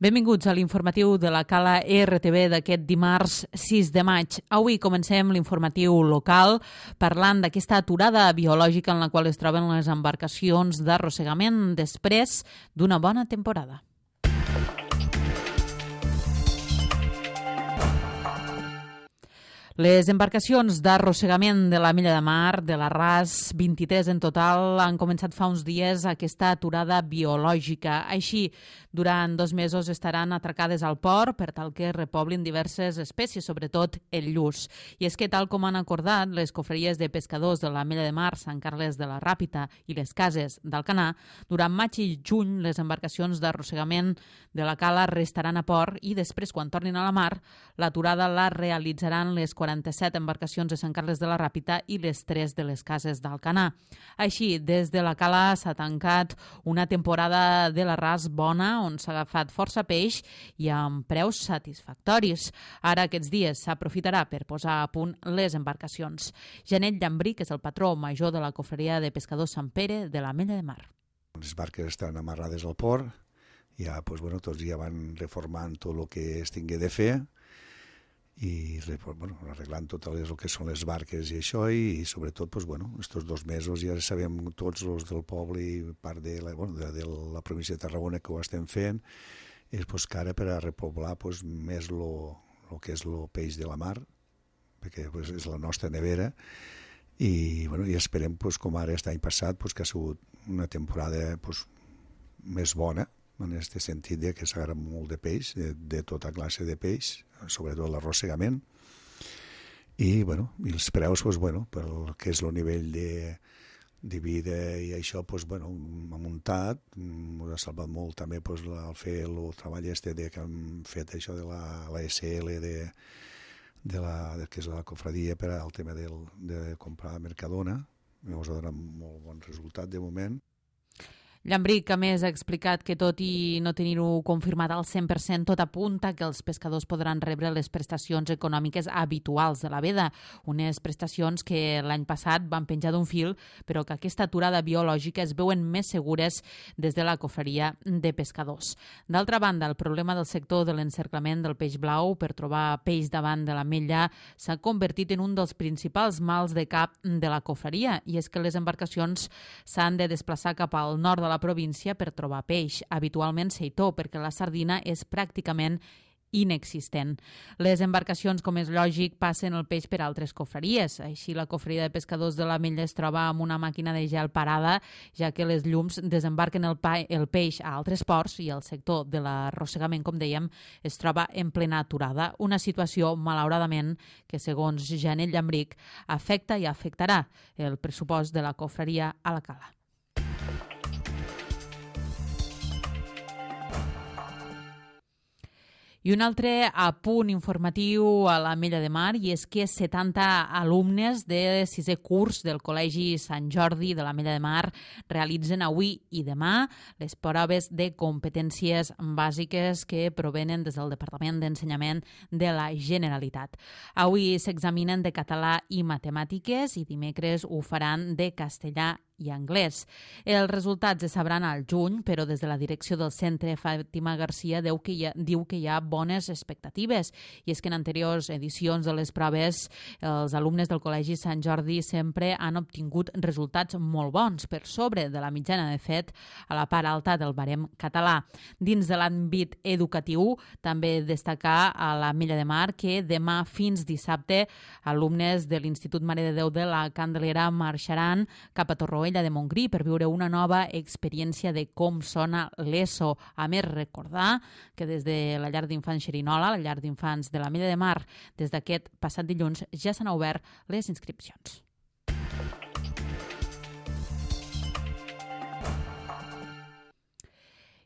Benvinguts a l'informatiu de la Cala RTV d'aquest dimarts 6 de maig. Avui comencem l'informatiu local parlant d'aquesta aturada biològica en la qual es troben les embarcacions d'arrossegament després d'una bona temporada. Les embarcacions d'arrossegament de la Mella de Mar, de la RAS, 23 en total, han començat fa uns dies aquesta aturada biològica. Així, durant 2 mesos estaran atracades al port per tal que repoblin diverses espècies, sobretot el lluç. I és que, tal com han acordat les cofreries de pescadors de la Mella de Mar, Sant Carles de la Ràpita i les cases d'Alcanar, durant maig i juny les embarcacions d'arrossegament de la cala restaran a port i després, quan tornin a la mar, l'aturada la realitzaran les 47 embarcacions de Sant Carles de la Ràpita i les 3 de les cases d'Alcanar. Així, des de la cala s'ha tancat una temporada de la RAS bona, on s'ha agafat força peix i amb preus satisfactoris. Ara, aquests dies, s'aprofitarà per posar a punt les embarcacions. Janet Llambrí, que és el patró major de la cofreria de pescadors Sant Pere de la Mella de Mar. Les barques estan amarrades al port, ja, tots ja van reformant tot el que es tingué de fer, i arreglant tot el que són les barques i això, i sobretot estos 2 mesos ja sabem tots els del poble i part de la província de Tarragona que ho estem fent, és que ara per a repoblar més el que és el peix de la mar, perquè és la nostra nevera, i esperem com ara aquest any passat que ha sigut una temporada més bona, en aquest sentit que s'ha agarrat molt de peix, de tota classe de peix, sobretot l'arrossegament, i els preus, pel que és el nivell de vida i això, ha muntat, ha salvat molt també el fer el treball que han fet això de la SL, que és la cofradia per al tema de comprar Mercadona, ens ha donat molt bon resultat de moment. Llambrí, a més, ha explicat que tot i no tenir-ho confirmat al 100%, tot apunta que els pescadors podran rebre les prestacions econòmiques habituals de la veda, unes prestacions que l'any passat van penjar d'un fil, però que aquesta aturada biològica es veuen més segures des de la cofreria de pescadors. D'altra banda, el problema del sector de l'encerclament del peix blau per trobar peix davant de la Mella s'ha convertit en un dels principals mals de cap de la cofreria, i és que les embarcacions s'han de desplaçar cap al nord de la província per trobar peix, habitualment seitó, perquè la sardina és pràcticament inexistent. Les embarcacions, com és lògic, passen el peix per altres cofreries. Així, la cofreria de pescadors de la Mella es troba amb una màquina de gel parada, ja que les llums desembarquen el peix a altres ports i el sector de l'arrossegament, com dèiem, es troba en plena aturada. Una situació, malauradament, que, segons Janet Llambrí, afecta i afectarà el pressupost de la cofreria a la cala. I un altre apunt informatiu a la Mella de Mar, i és que 70 alumnes de 6è curs del Col·legi Sant Jordi de la Mella de Mar realitzen avui i demà les proves de competències bàsiques que provenen des del Departament d'Ensenyament de la Generalitat. Avui s'examinen de català i matemàtiques i dimecres ho faran de castellà i anglès. Els resultats es sabran al juny, però des de la direcció del centre, Fàtima Garcia diu que hi ha bones expectatives, i és que en anteriors edicions de les proves els alumnes del Col·legi Sant Jordi sempre han obtingut resultats molt bons, per sobre de la mitjana, de fet, a la part alta del barem català. Dins de l'àmbit educatiu, també destacar a la Mella de Mar que demà fins dissabte alumnes de l'Institut Mare de Déu de la Candelera marxaran cap a Torroella de Montgrí per viure una nova experiència de com sona l'ESO. A més, recordar que des de la llar d'infants Xerinola, la llar d'infants de la Mella de Mar, des d'aquest passat dilluns ja s'han obert les inscripcions.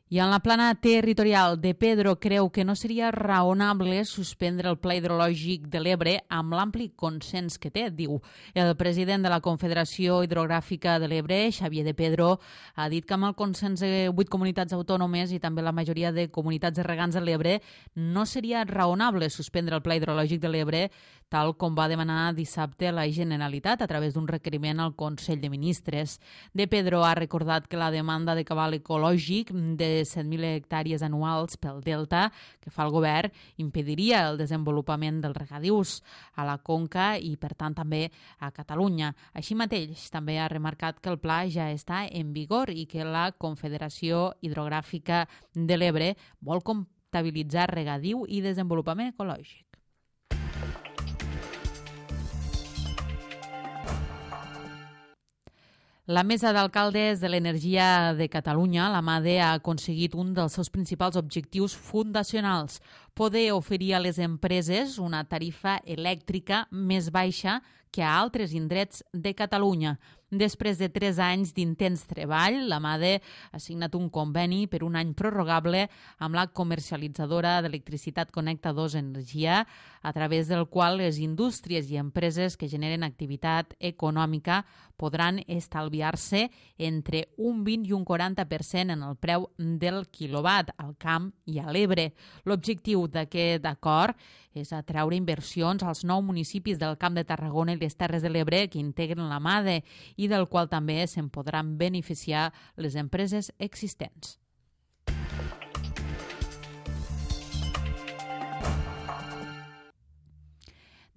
I en la plana territorial, De Pedro creu que no seria raonable suspendre el Pla Hidrològic de l'Ebre amb l'ampli consens que té, diu. El president de la Confederació Hidrogràfica de l'Ebre, Xavier De Pedro, ha dit que amb el consens de 8 comunitats autònomes i també la majoria de comunitats de regants de l'Ebre no seria raonable suspendre el Pla Hidrològic de l'Ebre, tal com va demanar dissabte la Generalitat a través d'un requeriment al Consell de Ministres. De Pedro ha recordat que la demanda de cabal ecològic de de 7.000 hectàrees anuals pel delta que fa el govern impediria el desenvolupament dels regadius a la conca i, per tant, també a Catalunya. Així mateix, també ha remarcat que el pla ja està en vigor i que la Confederació Hidrogràfica de l'Ebre vol comptabilitzar regadiu i desenvolupament ecològic. La Mesa d'Alcaldes de l'Energia de Catalunya, la MADE, ha aconseguit un dels seus principals objectius fundacionals: poder oferir a les empreses una tarifa elèctrica més baixa que a altres indrets de Catalunya. Després de 3 anys d'intens treball, la MADE ha signat un conveni per un any prorrogable amb la comercialitzadora d'electricitat Connecta 2 Energia, a través del qual les indústries i empreses que generen activitat econòmica podran estalviar-se entre un 20 i un 40% en el preu del quilowatt al camp i a l'Ebre. L'objectiu d'aquest acord és atraure inversions als 9 municipis del Camp de Tarragona i les Terres de l'Ebre que integren la MADE i del qual també se'n podran beneficiar les empreses existents.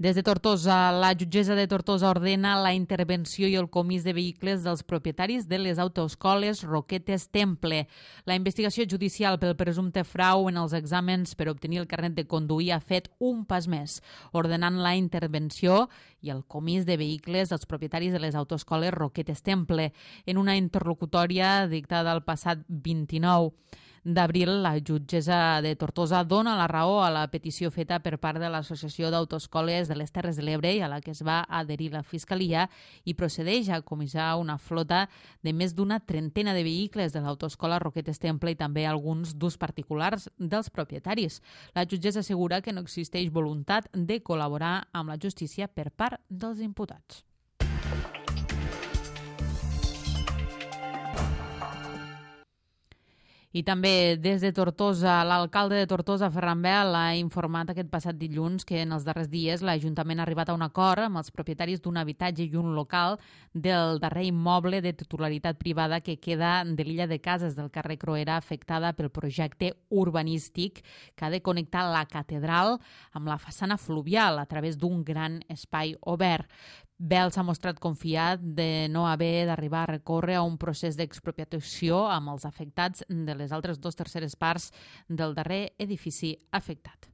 Des de Tortosa, la jutgessa de Tortosa ordena la intervenció i el comís de vehicles dels propietaris de les autoescoles Roquetes Temple. La investigació judicial pel presumpte frau en els exàmens per obtenir el carnet de conduir ha fet un pas més, ordenant la intervenció i el comís de vehicles dels propietaris de les autoescoles Roquetes Temple. En una interlocutòria dictada el passat 29 d'abril, la jutgessa de Tortosa dona la raó a la petició feta per part de l'Associació d'Autoescoles de les Terres de l'Ebre i a la que es va adherir la Fiscalia i procedeix a comissar una flota de més d'una trentena de vehicles de l'autoescola Roquetes Temple i també alguns d'ús particulars dels propietaris. La jutgessa assegura que no existeix voluntat de col·laborar amb la justícia per part dels imputats. I també des de Tortosa, l'alcalde de Tortosa, Ferran Bel, ha informat aquest passat dilluns que en els darrers dies l'Ajuntament ha arribat a un acord amb els propietaris d'un habitatge i un local del darrer immoble de titularitat privada que queda de l'illa de cases del carrer Croera, afectada pel projecte urbanístic que ha de connectar la catedral amb la façana fluvial a través d'un gran espai obert. Bel s'ha mostrat confiat de no haver d'arribar a recórrer a un procés d'expropiació amb els afectats de les altres 2/3 parts del darrer edifici afectat.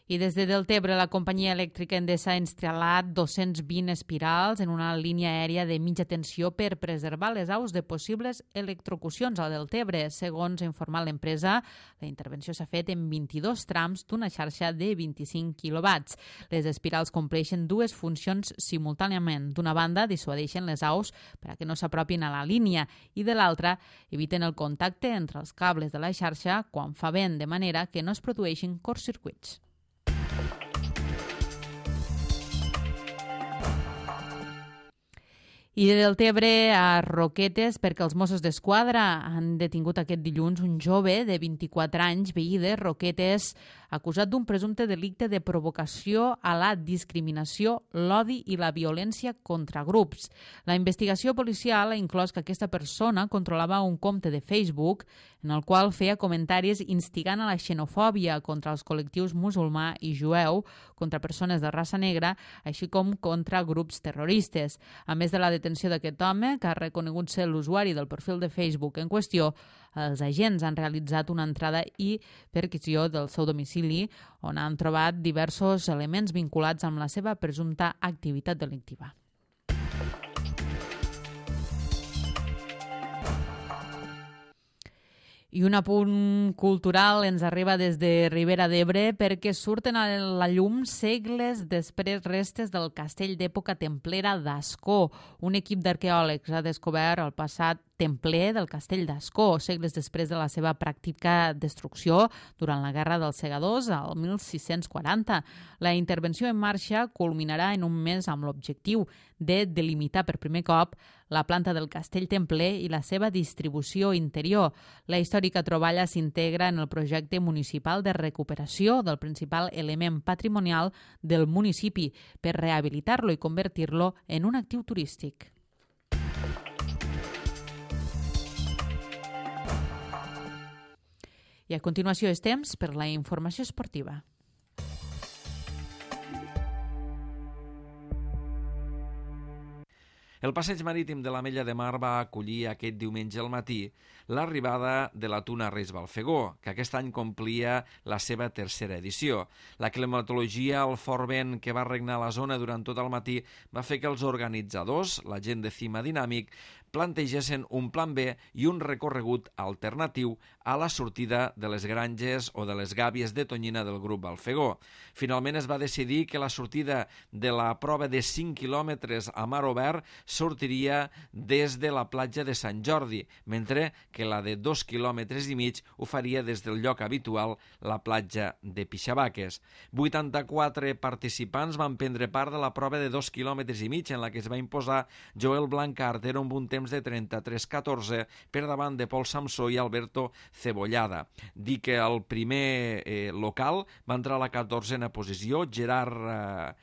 I des de Deltebre, la companyia elèctrica Endesa ha instal·lat 220 espirals en una línia aèria de mitja tensió per preservar les aus de possibles electrocucions a Deltebre. Segons ha informat l'empresa, la intervenció s'ha fet en 22 trams d'una xarxa de 25 quilowatts. Les espirals compleixen 2 funcions simultàniament. D'una banda, dissuadeixen les aus perquè no s'apropin a la línia i de l'altra, eviten el contacte entre els cables de la xarxa quan fa vent, de manera que no es produeixin curtcircuits. I de Deltebre a Roquetes, perquè els Mossos d'Esquadra han detingut aquest dilluns un jove de 24 anys, veí de Roquetes, acusat d'un presumpte delicte de provocació a la discriminació, l'odi i la violència contra grups. La investigació policial ha inclòs que aquesta persona controlava un compte de Facebook en el qual feia comentaris instigant a la xenofòbia contra els col·lectius musulmà i jueu, contra persones de raça negra, així com contra grups terroristes. A més de la detenció d'aquest home, que ha reconegut ser l'usuari del perfil de Facebook en qüestió, els agents han realitzat una entrada i perquisició del seu domicili, on han trobat diversos elements vinculats amb la seva presumpta activitat delictiva. I un apunt cultural ens arriba des de Ribera d'Ebre perquè surten a la llum segles després restes del castell d'època templera d'Ascó. Un equip d'arqueòlegs ha descobert el passat templer del castell d'Ascó, segles després de la seva pràctica destrucció durant la Guerra dels Segadors al 1640. La intervenció en marxa culminarà en un mes amb l'objectiu de delimitar per primer cop la planta del castell templer i la seva distribució interior. La històrica troballa s'integra en el projecte municipal de recuperació del principal element patrimonial del municipi per rehabilitar-lo i convertir-lo en un actiu turístic. I a continuació és temps per la informació esportiva. El passeig marítim de l'Ametlla de Mar va acollir aquest diumenge al matí l'arribada de la Tuna Reis Balfegó, que aquest any complia la seva tercera edició. La climatologia, el fort vent que va regnar a la zona durant tot el matí va fer que els organitzadors, la gent de Cima Dinàmic, plantegessin un plan B i un recorregut alternatiu a la sortida de les granges o de les gàbies de tonyina del grup Balfegó. Finalment es va decidir que la sortida de la prova de 5 quilòmetres a mar obert sortiria des de la platja de Sant Jordi, mentre que la de 2 quilòmetres i mig ho faria des del lloc habitual, la platja de Pixabaques. 84 participants van prendre part de la prova de 2 quilòmetres i mig en la que es va imposar Joel Blancartero amb un temps de 33-14 per davant de Pol Samsó i Alberto Cebollada. Dir que el primer local va entrar a la 14a posició, Gerard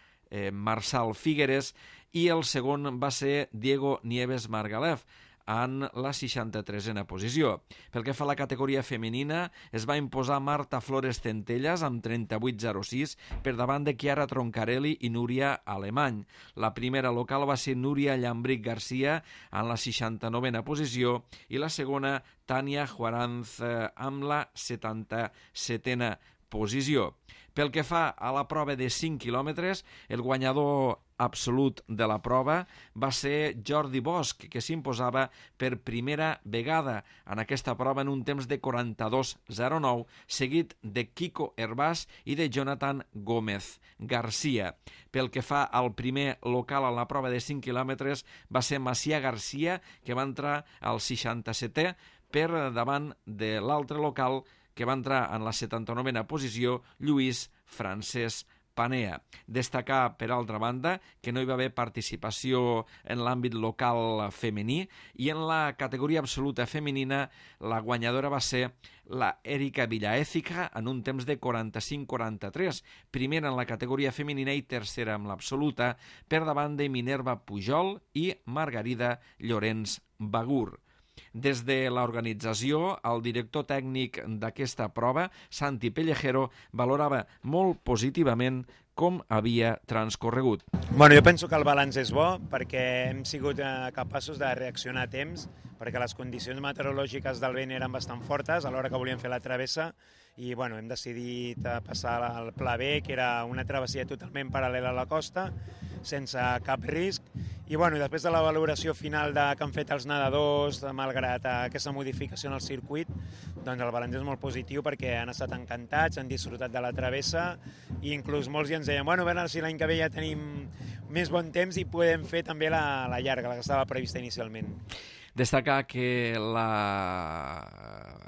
Marçal Figueres, i el segon va ser Diego Nieves Margalef, en la 63a posició. Pel que fa a la categoria femenina, es va imposar Marta Flores Centelles amb 38,06 per davant de Chiara Troncarelli i Núria Alemany. La primera local va ser Núria Llambric Garcia en la 69a posició i la segona Tània Juaranz amb la 77a posició. Pel que fa a la prova de 5 quilòmetres, el guanyador absolut de la prova va ser Jordi Bosch, que s'imposava per primera vegada en aquesta prova en un temps de 42,09, seguit de Kiko Hervás i de Jonathan Gómez Garcia. Pel que fa al primer local a la prova de 5 quilòmetres va ser Macià Garcia, que va entrar al 67è per davant de l'altre local, que va entrar en la 79a posició, Lluís Francesc Panea. Destacar, per altra banda, que no hi va haver participació en l'àmbit local femení i en la categoria absoluta femenina la guanyadora va ser la Erika Villaécija en un temps de 45-43, primera en la categoria femenina i tercera en l'absoluta, per davant de Minerva Pujol i Margarida Llorenç Bagur. Des de l'organització, el director tècnic d'aquesta prova, Santi Pellejero, valorava molt positivament com havia transcorregut. Bueno, jo penso que el balanç és bo perquè hem sigut capaços de reaccionar a temps, perquè les condicions meteorològiques del vent eren bastant fortes a l'hora que volíem fer la travessa i bueno, hem decidit passar al pla B, que era una travessia totalment paral·lela a la costa, sense cap risc. I bueno, després de la valoració final que han fet els nedadors, malgrat aquesta modificació en el circuit, doncs el balanç és molt positiu perquè han estat encantats, han disfrutat de la travessa i inclús molts ja ens deien, bueno, a veure si l'any que ve ja tenim més bon temps i podem fer també la llarga, la que estava prevista inicialment. Destacar que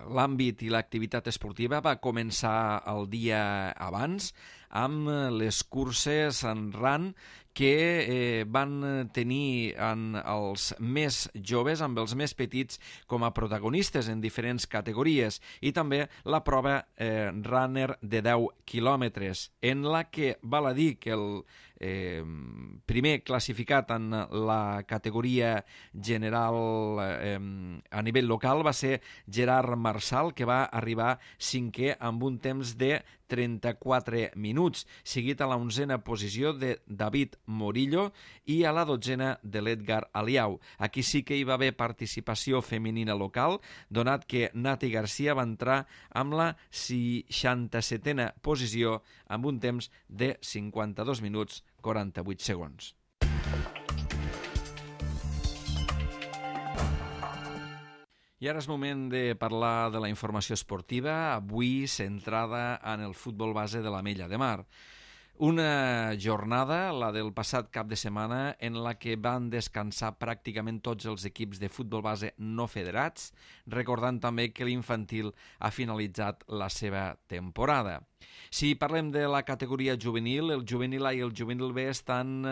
l'àmbit i l'activitat esportiva va començar el dia abans amb les curses en RAN que van tenir els més joves, amb els més petits, com a protagonistes en diferents categories, i també la prova runner de 10 quilòmetres, en la que val a dir que el primer classificat en la categoria general a nivell local va ser Gerard Marçal, que va arribar cinquè amb un temps de 34 minuts, seguit a la 11a posició de David Morillo i a la 12a de l'Edgar Aliau. Aquí sí que hi va haver participació femenina local, donat que Nati Garcia va entrar amb la 67a posició amb un temps de 52 minuts 48 segons. I ara és moment de parlar de la informació esportiva, avui centrada en el futbol base de l'Ametlla de Mar. Una jornada, la del passat cap de setmana, en la que van descansar pràcticament tots els equips de futbol base no federats, recordant també que l'infantil ha finalitzat la seva temporada. Si parlem de la categoria juvenil, el juvenil A i el juvenil B estan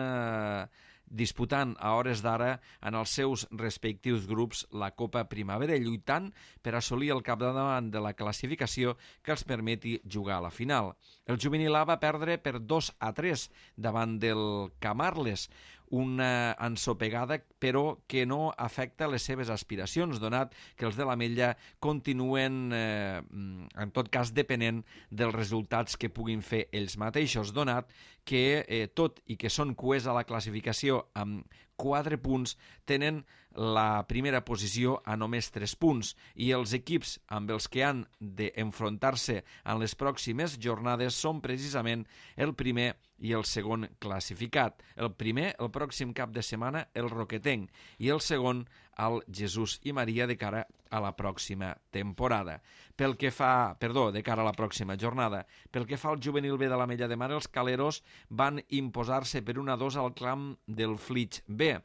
disputant a hores d'ara en els seus respectius grups la Copa Primavera, lluitant per assolir el capdavant de la classificació que els permeti jugar a la final. El juvenil A va perdre per 2-3 davant del Camarles, una ensopegada però que no afecta les seves aspiracions, donat que els de l'Ametlla continuen, en tot cas, depenent dels resultats que puguin fer ells mateixos, donat que, tot i que són cuers a la classificació amb 4 punts, tenen la primera posició a només 3 punts i els equips amb els que han d'enfrontar-se en les pròximes jornades són precisament el primer i el segon classificat. El primer, el pròxim cap de setmana, el Roquetenc, i el segon, el Jesús i Maria, de cara a la pròxima temporada. De cara a la pròxima jornada. Pel que fa al juvenil B de l'Ametlla de Mar, els caleros van imposar-se per 1-2 al camp del Flix B.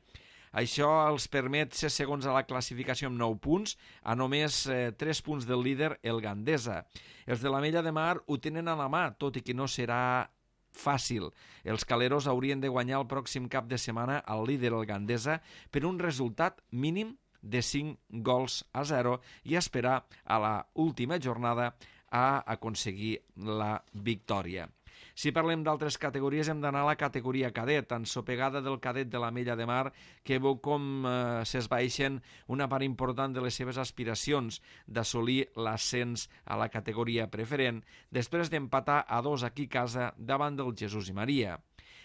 Això els permet ser segons a la classificació amb 9 punts, a només 3 punts del líder, el Gandesa. Els de l'Ametlla de Mar ho tenen a la mà, tot i que no serà fàcil. Els caleros haurien de guanyar el pròxim cap de setmana al líder, el Gandesa, per un resultat mínim de 5-0 i esperar a la última jornada a aconseguir la victòria. Si parlem d'altres categories, hem d'anar a la categoria cadet, ensopegada del cadet de l'Ametlla de Mar, que veu com s'esbaixen una part important de les seves aspiracions d'assolir l'ascens a la categoria preferent, després d'empatar a 2 aquí a casa davant del Jesús i Maria.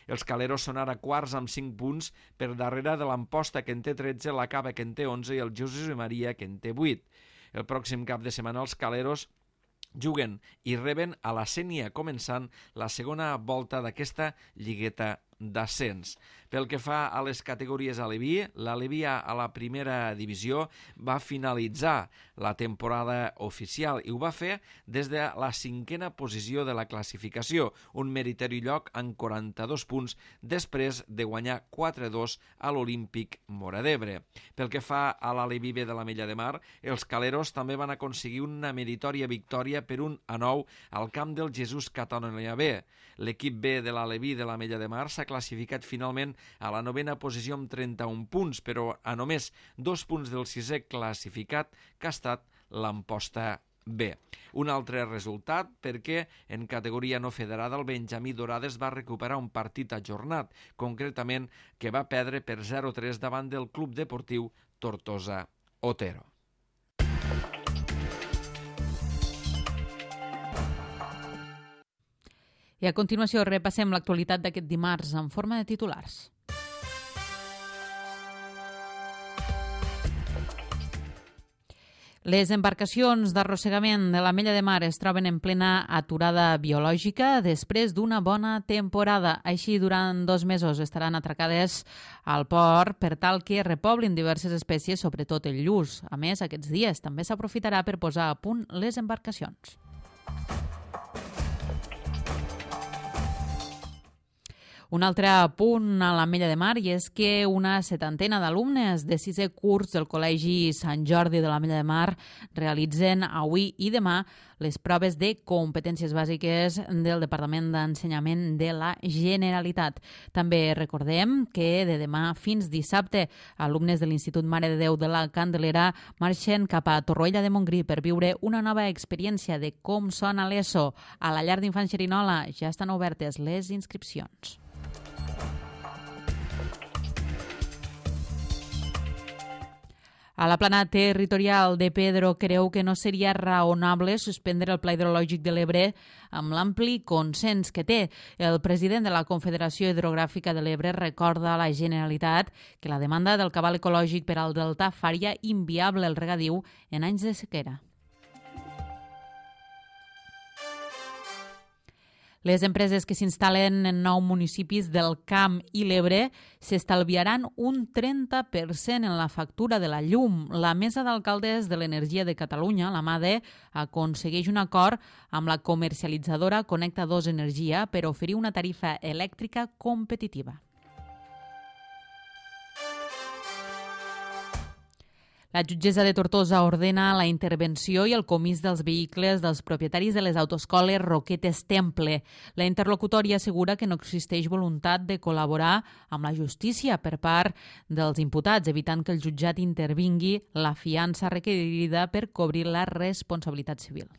Els caleros són ara quarts amb 5 punts per darrere de l'Amposta, que en té 13, la Cava, que en té 11, i el Jesús i Maria, que en té 8. El pròxim cap de setmana els caleros juguen i reben a la Sénia, començant la segona volta d'aquesta lligueta d'ascens. Pel que fa a les categories aleví, l'Aleví a la primera divisió va finalitzar la temporada oficial i ho va fer des de la 5a posició de la classificació, un meriteri lloc amb 42 punts després de guanyar 4-2 a l'Olímpic Móra d'Ebre. Pel que fa a l'Aleví B de l'Ametlla de Mar, els caleros també van aconseguir una meritòria victòria per 1-9 al camp del Jesús Catònia B. L'equip B de l'Aleví de l'Ametlla de Mar s'ha classificat finalment a la 9a posició amb 31 punts, però a només 2 punts del 6è classificat, que ha estat l'Amposta B. Un altre resultat perquè en categoria no federada el Benjamí Dorades va recuperar un partit ajornat, concretament que va perdre per 0-3 davant del Club Deportiu Tortosa Otero. I a continuació repassem l'actualitat d'aquest dimarts en forma de titulars. Les embarcacions d'arrossegament de l'Ametlla de Mar es troben en plena aturada biològica després d'una bona temporada. Així, durant 2 mesos estaran atracades al port per tal que repoblin diverses espècies, sobretot el lluç. A més, aquests dies també s'aprofitarà per posar a punt les embarcacions. Un altre punt a l'Ametlla de Mar i és que una 70ena d'alumnes de 6è curs del Col·legi Sant Jordi de l'Ametlla de Mar realitzen avui i demà les proves de competències bàsiques del Departament d'Ensenyament de la Generalitat. També recordem que de demà fins dissabte alumnes de l'Institut Mare de Déu de la Candelera marxen cap a Torroella de Montgrí per viure una nova experiència de com sona l'ESO. A la llar d'infants Xerinola ja estan obertes les inscripcions. A la plana territorial de Pedro creu que no seria raonable suspendre el Pla Hidrològic de l'Ebre amb l'ampli consens que té. El president de la Confederació Hidrogràfica de l'Ebre recorda a la Generalitat que la demanda del cabal ecològic per al delta faria inviable el regadiu en anys de sequera. Les empreses que s'instal·len en 9 municipis del Camp i l'Ebre s'estalviaran un 30% en la factura de la llum. La Mesa d'Alcaldes de l'Energia de Catalunya, la MADE, aconsegueix un acord amb la comercialitzadora Connecta 2 Energia per oferir una tarifa elèctrica competitiva. La jutgessa de Tortosa ordena la intervenció i el comís dels vehicles dels propietaris de les autoescoles Roquetes Temple. La interlocutòria assegura que no existeix voluntat de col·laborar amb la justícia per part dels imputats, evitant que el jutjat intervingui la fiança requerida per cobrir la responsabilitat civil.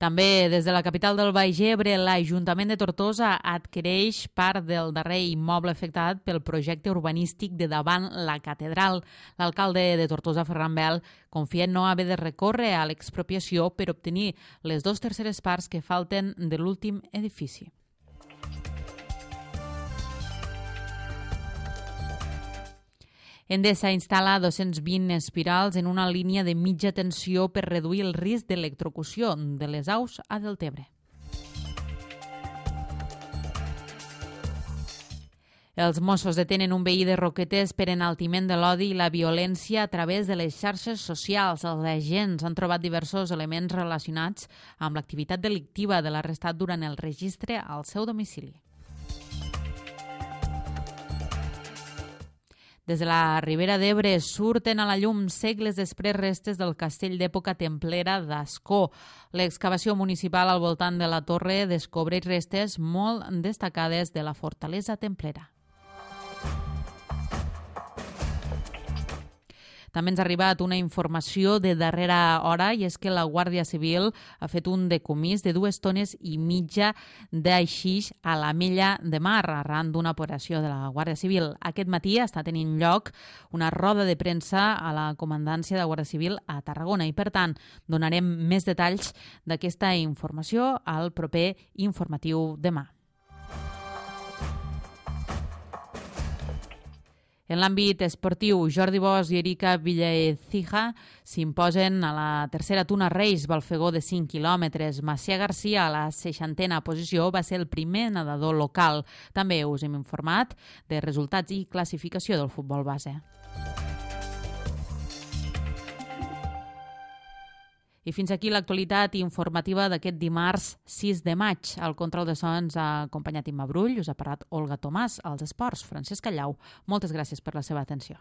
També des de la capital del Baix Ebre, l'Ajuntament de Tortosa adquireix part del darrer immoble afectat pel projecte urbanístic de davant la catedral. L'alcalde de Tortosa, Ferran Bel, confia en no haver de recórrer a l'expropiació per obtenir les 2/3 parts que falten de l'últim edifici. Endesa instal·la 220 espirals en una línia de mitja tensió per reduir el risc d'electrocució de les aus a Deltebre. Els Mossos detenen un veí de Roquetes per enaltiment de l'odi i la violència a través de les xarxes socials. Els agents han trobat diversos elements relacionats amb l'activitat delictiva de l'arrestat durant el registre al seu domicili. Des de la Ribera d'Ebre surten a la llum segles després restes del castell d'època templera d'Ascó. L'excavació municipal al voltant de la torre descobreix restes molt destacades de la fortalesa templera. També ens ha arribat una informació de darrera hora i és que la Guàrdia Civil ha fet un decomís de 2 tones i mitja d'aixix a l'Ametlla de Mar arran d'una operació de la Guàrdia Civil. Aquest matí està tenint lloc una roda de premsa a la Comandància de Guàrdia Civil a Tarragona i, per tant, donarem més detalls d'aquesta informació al proper informatiu demà. En l'àmbit esportiu, Jordi Bosch i Erika Villaecija s'imposen a la tercera Tuna Reis Balfegó de 5 quilòmetres. Macià Garcia, a la 60a posició, va ser el primer nedador local. També us hem informat de resultats i classificació del futbol base. I fins aquí l'actualitat informativa d'aquest dimarts 6 de maig. Al control de sons ha acompanyat Imma Brull, us ha parlat Olga Tomàs, als esports, Francesc Callau. Moltes gràcies per la seva atenció.